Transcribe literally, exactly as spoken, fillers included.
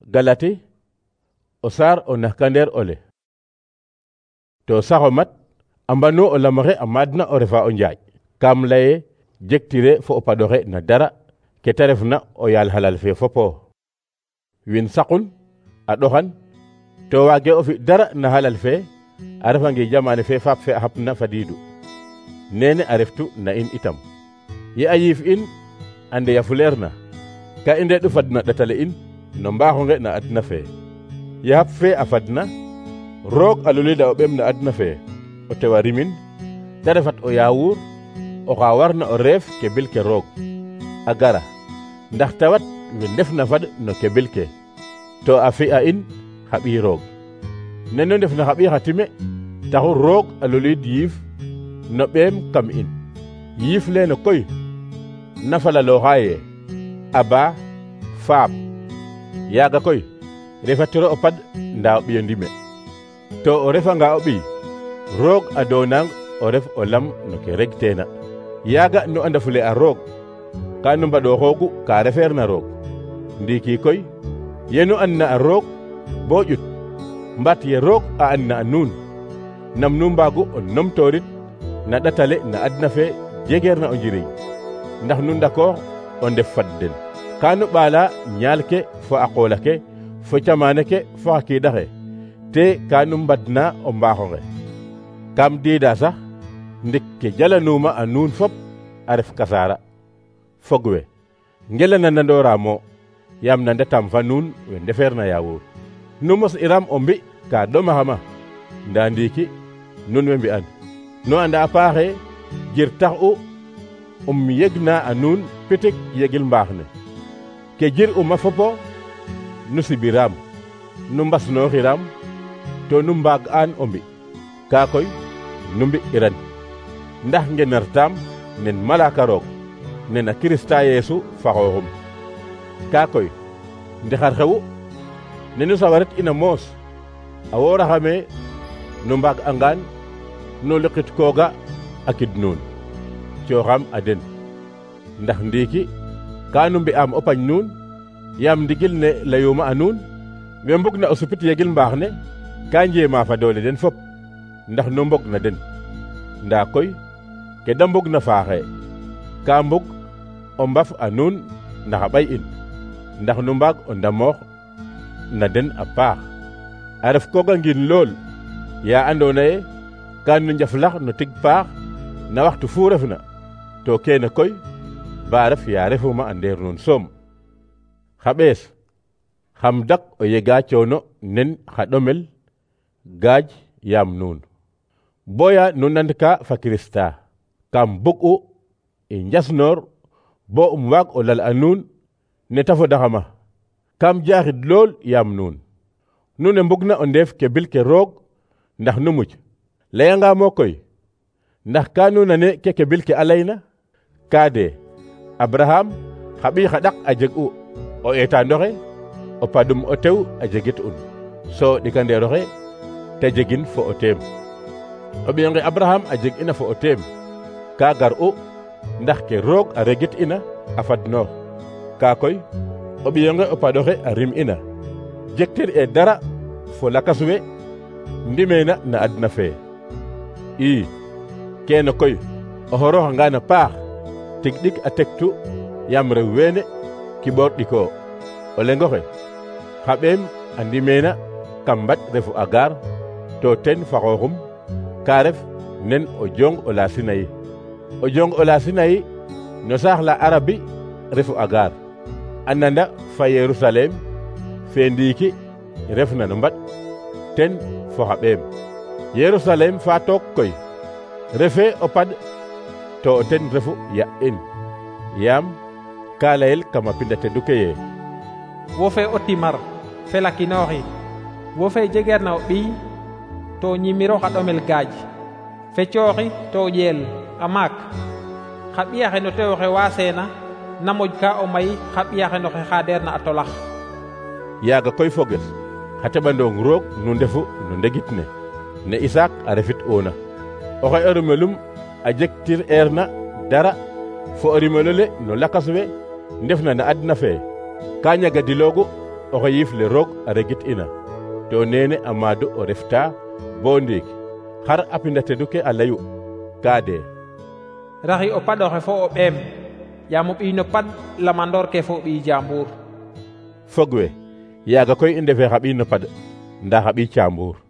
Galati o saar o naxkandeer ole. To saxo mat a mbanu o lamaxe a maadna o refa o njaaƴ. Kam laye jegtire fo o paɗoxe na dara ke ta refna o yaal halal fe fopo. Win saqun a ɗoxan to waage o fi dara na halal fe a refange jamane fe faap fe a xapna fadiidu. Nene a reftu na in itam. Ye a yiif in a ndeya fuleer na ka i ndeeɗu fadna ɗatale in no mbaaxonge na adna fe. Ye xap fe a fadna roog a lulida o ɓem na adna fe o tewa rimin te refat o yaawuur oxa warna o reef ke bil ke roog a gara ndax tawat we ndefna fad no ke bil ke to a fi'a in xa ɓiy roog. Nenu ndefna xa ɓiy xa time taxu roog a lulid yiif no ɓeem kam in. Yiif leene koy na falalooxaaye aba faap yaaga koy refatiro o pad ndaa o ɓiyo ndime. To o refanga o ɓiy roog a doonang o ref o lam no ke regteena. Yaaga nu andafule a roog ka nu mbaɗooxoogu ka refeerna roog. Ndiiki koy yenu andna a roog bo ƴut mbat ye roog a andna a nuun nam nu mbaagu o numtoorit na ɗatale na adna fe jegeerna o njiriñ ndax nu ndakoox o ndef fad den. Ka nu ɓaala ñaal ke fo a qool ake fo camaane ke fo xa kiiɗaxe te ka nu mbadna o mbaaxonge. Kam diida sax ndik ke jalanuuma a nuun fop a ref kasaara. Fog we ngelana nandooramo yaam na ndetam fa nuun we ndefeerna yaawuur. Nu mos iram o mbi ka ɗomaxama ndaa ndiiki nun we mbi'an. Nu anda a paaxe jir tax u um yegna a nuun pitik yegil mbaax ne. Ke jir uma fopo nu sibiraam nu mbasnooxiram to nu mbaag aan o mbi. Kaa koy nu mbi iran ndax ngenartaam nen malaaka roog nen a Kirista Yeesu fa xooxum. Kaa koy ndexar xewu ne nu sawarit ina moos a wooraxame nu mbaag angaan nu liqit kooga a kid nuun cooxam a den ndax ndiiki ka nu mbi'aam o pañ nuun yaam ndigil ne layuuma a nuun we mbug na o supit yegil mbaax ne ka njeema fa doole den fop ndax nu mbog na den. Ndaa koy ke da mbug na faaxe ka mbug o mbaf a nuun ndax a ɓay in ndax nu mbaag o ndamoox na den a paax. A ref kooga ngin lool ya andoona ye ka nu njaflax no tig paax na waxtu fu refna to keene koy ba ref ya refuma a ndeer nuun soom. Xa ɓees xam dak o yega coono nen xa ɗomel gaaj yaam nuun boya nu nandka fa Kirista. Kam bug'u i njasnoor bo um waag o lal a nuun ne ta fodaxama. Kam jaaxid lool yaam nuun nu ne mbugna o ndeef ke bil ke roog ndax nu muc. Layangamo koy ndax ka nu nane ke ke bil ke a layna ka de Abraham xa ɓiy xa ɗak a jeg'u o eetaandoxe o padum o tew a jegit'un so ɗikandeeroxe te jegin fo o teem. O ɓiyonge Abraham a jeg ina fo o teem ka gar'u ndax ke roog a regit ina a fadnoox. Kaa koy o ɓiyonge o paɗoxe a rim ina jegtir e dara fo lakas we ndimeena na adna fe. ii keene koy o xorooxangaan a paax tig ɗik a tektu yaam rew weene kiɓoor ɗikoo. O lengoxe xa ɓeem a ndimeena kam mbaɗ refu Agar to ten fa xooxum ka ref nen o jong o la Sinayi. O jong o la Sinayi no saax la Arabi refu Agar a nanda fa Yerusalem fe ndiiki refna no mbaɗ ten fo xa ɓeem. Yerusalem fa took koy refe o pad to o ten refu ya in yaam ka layel kama pinda tedu ke ye wo fe o timar fe lakinooxi wo fe jegeerna o ɓiy to ñimiro xa ɗomel gaaj fe cooxi to ƴeel a maak xa ɓiyaxe no tewoxe waaseena na moƴ ka o may xa ɓiyaxe no xe xaadeerna a tolax. Yaaga koy foges xa teɓandoong roog nu ndefu no ndegit ne ne Isaak a refit oona oxe o rimelum a jegtir eerna dara fo o rimelo le no lakas we ndefna na adna fe ka ñagadiloogu oxe yiif le roog a regit ina to nene a maadu o refta bo ndiik xar a pinda tedu ke a leyu ka de raxi o paɗoxe fo o ɓeem yaam o ɓiy no paɗ lamandoor ke fo o ɓiy jaambur. fog we yaaga koy i ndefe xa ɓiy no paɗ nda xa ɓiy caambuur.